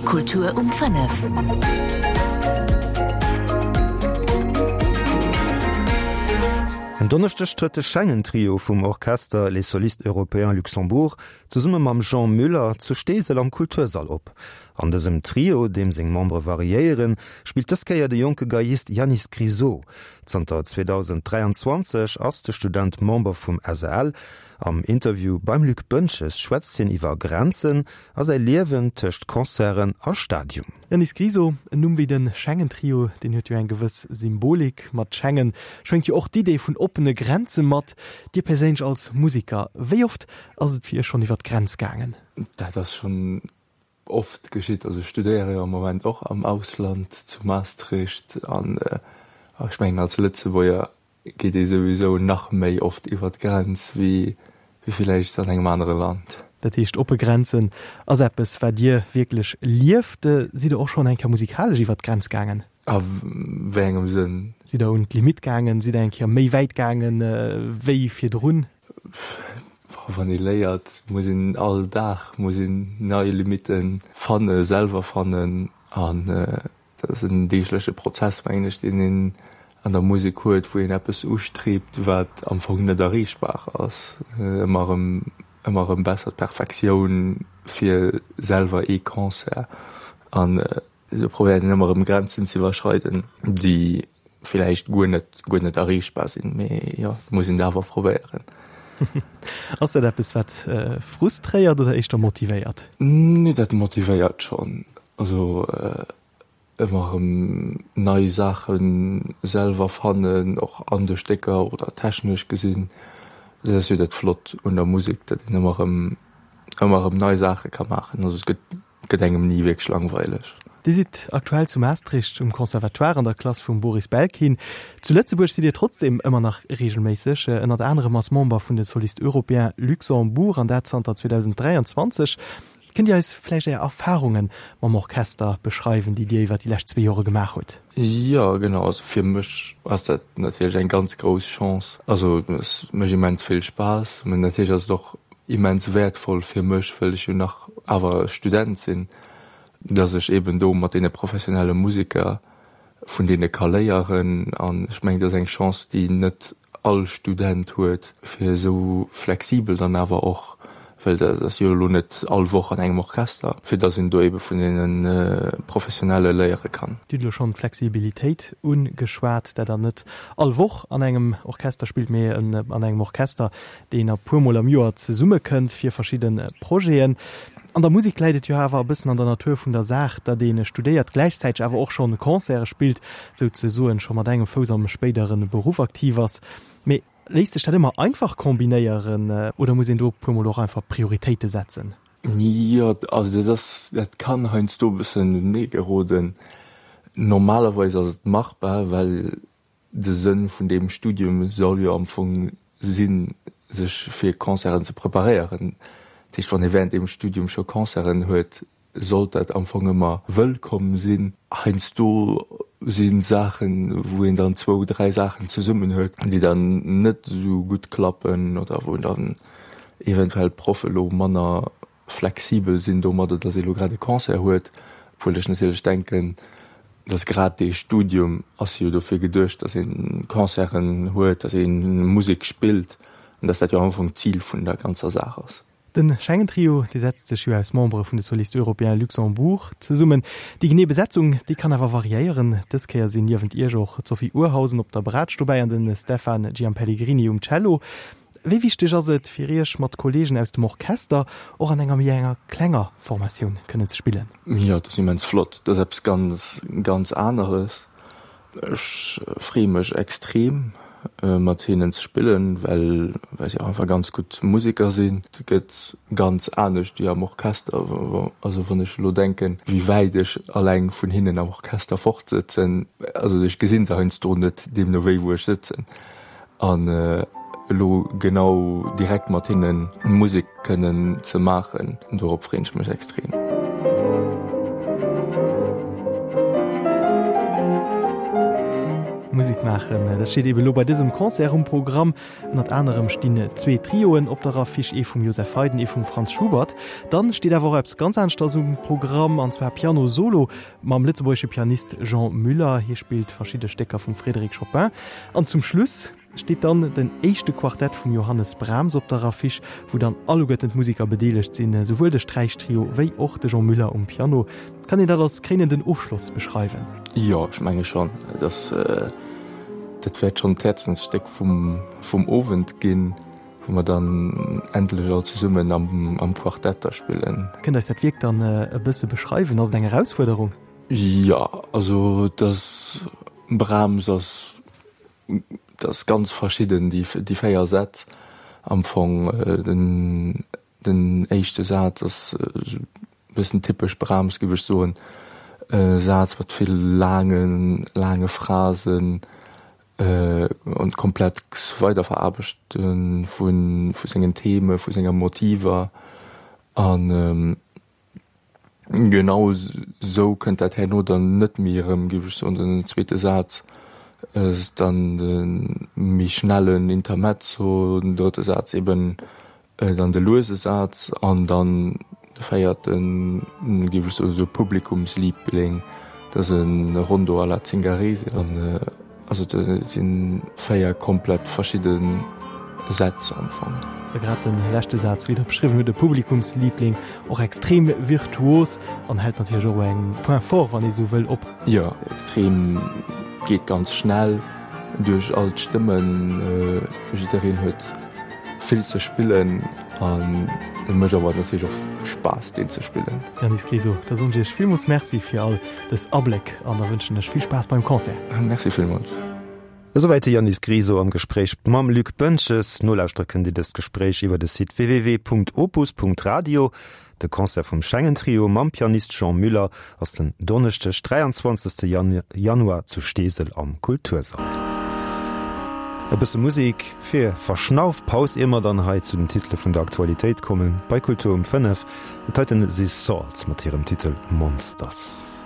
Kultur um 5. En Donneschdeg trëtt de Schengen-Trio vum Orchester Les Solistes Européens Luxembourg zesumme mam Jean Müller zu Steesel am Kultursall op. An dësem Trio, deem seng Membere variéieren, spillt dës Kéier de jonke Geiist Yannis Grisot. Zanter 2023 ass de Student Member vum SAL. Am Interview beim Luc Boentges schwätzt hien iwwer Grenzen a säi Liewen tëscht Concerten a Stadium. Yannis Grisot, En Numm wéi de Schengen-Trio, deen huet jo eng gewëss Symbolik. Mat Schengen schwéngt jo och d'Idee vun oppene Grenze mat. Dir perséinlech als Musiker, wéi oft ass et fir Iech schonn iwwer d'Grenz gaangen? Dat ass schonn oft geschitt. Also ech studéiere jo am Moment och am Ausland, zu Maastricht, an ech mengen als Lëtzebuerger geet ee souwisou nach méi oft iwwer d'Grenz wéi villäicht an engem anere Land. Dat heescht, oppe Grenzen ass eppes, wat Dir wierklech lieft. Sidd Der och schonn eng Kéier musikalesch iwwer d'Grenz gaangen? A wéi engem Sënn? Sidd Der un d'Limitt gaangen? Sidd Der eng Kéier méi wäit gaangen wéi virdrun? Wann ee léiert, muss een all Dag muss een nei Limitten fanne, selwer fannen an dat ass en deegleche Prozess, mengen ech, deen een an der Musek huet, wou een eppes ustriibt, wat am Fong net erreechbar ass. Ëmmer erëm, ëmmer erëm besser, d'Perfektioun fir selwer ee Concert an esou probéiert een ëmmer erëm Grenzen ze iwwerschreiden, déi villäicht guer net, guer net erreechbar sinn, mee jo, et muss een et awer probéieren. Ass dat eppes, wat frustréiert oder éischter motivéiert? Nee, dat motivéiert schonn. Also ëmmer erëm nei Saache selwer fannen, och an de Stécker oder technesch gesinn. Dat ass jo dat Flott un der Musek, datt een ëmmer erëm, ëmmer erëm nei Saache ka maachen. Also et gëtt, gëtt engem ni wierklech langweileg. Dir sidd aktuell zu Maastricht um Conservatoire an der Klass vum Boris Belkin. Zu Lëtzebuerg sidd Dir trotzdeem ëmmer nach reegelméisseg, ënnert anerem als Member vun de Solistes Européens Luxembourg, an dat zanter 2023. Kënnt Dir eis vläicht Är Erfarunge mam Orchester beschreiwen, déi Dir iwwer déi lescht zwee Jore gemaach hutt? Jo, genau. Also fir mech ass dat natierlech eng ganz grouss Chance. Also et mécht immens vill Spaass, mä natierlech ass et och immens wäertvoll fir mech, well ech jo nach awer Student sinn, dass ech eeben do mat deene professionelle Museker vun deene ka léieren. An ech mengen, dat ass eng Chance, déi net all Student huet, fir esou flexibel dann awer och, well dat ass jo elo net all Woch an engem Orchester, fir datt een do ebe vun deene Professionelle léiere kann. Dir hutt elo schonn d'Flexibilitéit ugeschwat, dat Der net all Woch an engem Orchester spillt, mee an engem Orchester, deen e puermol am Joer zesummekënnt fir verschidde Projeten. An der Musek läit et jo awer e bëssen an der Natur vun der Saach, datt ee studéiert, gläichzäiteg awer och schonn Concerte spillt, souzesoen scho mat engem Fouss am spéidere Beruff aktiv ass. Mee léisst sech dat ëmmer einfach kombinéieren oder muss een do e puermol och einfach Prioritéite setzen? Jo, also dat ass, dat kann heiansdo e bëssen unenee geroden. Normalerweis ass et machbar, well De Sënn vun deem Studium soll jo am Fong sinn, sech fir Concerten ze preparéieren. Dat heescht, wann ee während deem Studium scho Concerten huet, sollt dat am Fong ëmmer wëllkomm sinn. Heiansdo si Saachen, wou een dann zwou, dräi Saachen zesummen huet, déi dann net esou gutt klappen oder wou dann eventuell d'Proffe elo manner flexibel sinn domadder, datt ee lo grad e Concert huet, obwuel ech natierlech denken, datt grad dee Studium ass jo dofir geduecht, datt ee Concerten huet, datt ee Musek spillt an datt dat jo am Ufank d'Zil vun der ganzer Saach ass. De Schengen Trio, dee setzt sech jo aus Membere vun de Solistes Européens Luxembourg zesummen. Déi genee Besetzung, déi kann awer variéieren. Dës Kéier sinn niewent Iech och d'Sophie Urhausen op der Braatsch dobäi an de Stefan Giampelligrini um Cello. Wéi wichteg ass et fir Iech, mat Kolleegen aus dem Orchester och an enger méi enger klenger Formatioun kënnen ze spillen? Jo, dat ass immens flott. Dat ass eppes ganz, ganz aneres. Ech freeë mech extrem, mat hinnen ze spillen, well well si och einfach ganz gutt Museker sinn. Et gëtt ganz anescht wéi am Orchester. Also wann ech elo denken, wéi wäit ech alleng vun hinnen am Orchester fort sëtzen, also ech gesinn se heiansdo net, deemno wéi wou ech sëtzen. An elo genau direkt mat hinne Musek kënnen ze maachen, dorop freen ech mech extrem. Musek maachen, dat steet eben elo bei dësem Concert um Programm. Ënnert anerem stinn zwee Trioen op der Affiche, ee vum Joseph Haydn, ee vum Franz Schubert. Dann steet awer och eppes ganz aneschters um Programm, an zwar Piano Solo mam lëtzebuergesche Pianist Jean Müller. Hie spillt verschidde Stécker vum Frédéric Chopin. An zum Schluss steet dann den éischte Quartett vum Johannes Brahms op der Affiche, wou dann alleguerten d'Museker bedeelegt sinn, esouwuel de Sträichtrio wéi och de Jean Müller um Piano. Kann een dat als kréinenden Ofschloss beschreiwen? Jo, ech menge schonn. Dat wäert schonn d'Häerzensstéck vum Owend ginn, wou mer dann endlech all zesummen am Quartett da spillen. Kënnt eis dat Wierk dann e bësse beschreiwen? Ass et eng Erausfuerderung? Jo, also dass Brahms ass, dat ass ganz verschidden, déi 4 Sätz am Fong. Den éischte Saz ass e bëssen typesch Brahms, géif ech soen, e Saz mat vill laangen, laange Phrasen an komplex Weiderveraarbechte vu sengen Theme, vu senger Motiver. An Genau sou kënnt dat herno dann net méi erëm, géif ech soen. Den zweete Saz ass dann de méi schnellen Intermezzo, den drëtte Saz eben dann de luese Saz an dann de véierten, géif ech soen, esou Publikumsliebling, dat ass e Rondo alla Zingarese. Also dat si 4 komplett verschidde Sätz am Fong. A grad de leschte Saz, wéi Der beschriwwen hutt, e Publikumsliebling, och extrem virtuos an hält natierlech och eng Point fort, wann ee sou wëll, op. Jo, extrem, geet ganz schnell duerch all d'Stëmmen, jiddereen huet vill ze spillen an et mécht awer natierlech och Spaass deen ze spillen. Yannis Griso, da soen ech Iech villmools Merci fir all dës Abléck an da wënschen ech vill Spaass beim Concert. Merci villmools. Esouwäit de Yannis Griso am Gespréich mam Luc Boentges. Nolauschtere kënnt Dir dëst Gespréich iwwer de Site www.opus.radio. De Concert vum Schengen Trio mam Pianist Jean Müller ass den Donneschdeg 23. Januar zu Steesel am Kultursall. E bësse Musek fir Verschnaufpaus, ier mer dann hei zu den Titele vun der Aktualitéit kommen bei Kultur um 5. Dat heiten si Salt mat hirem Titel Monsters.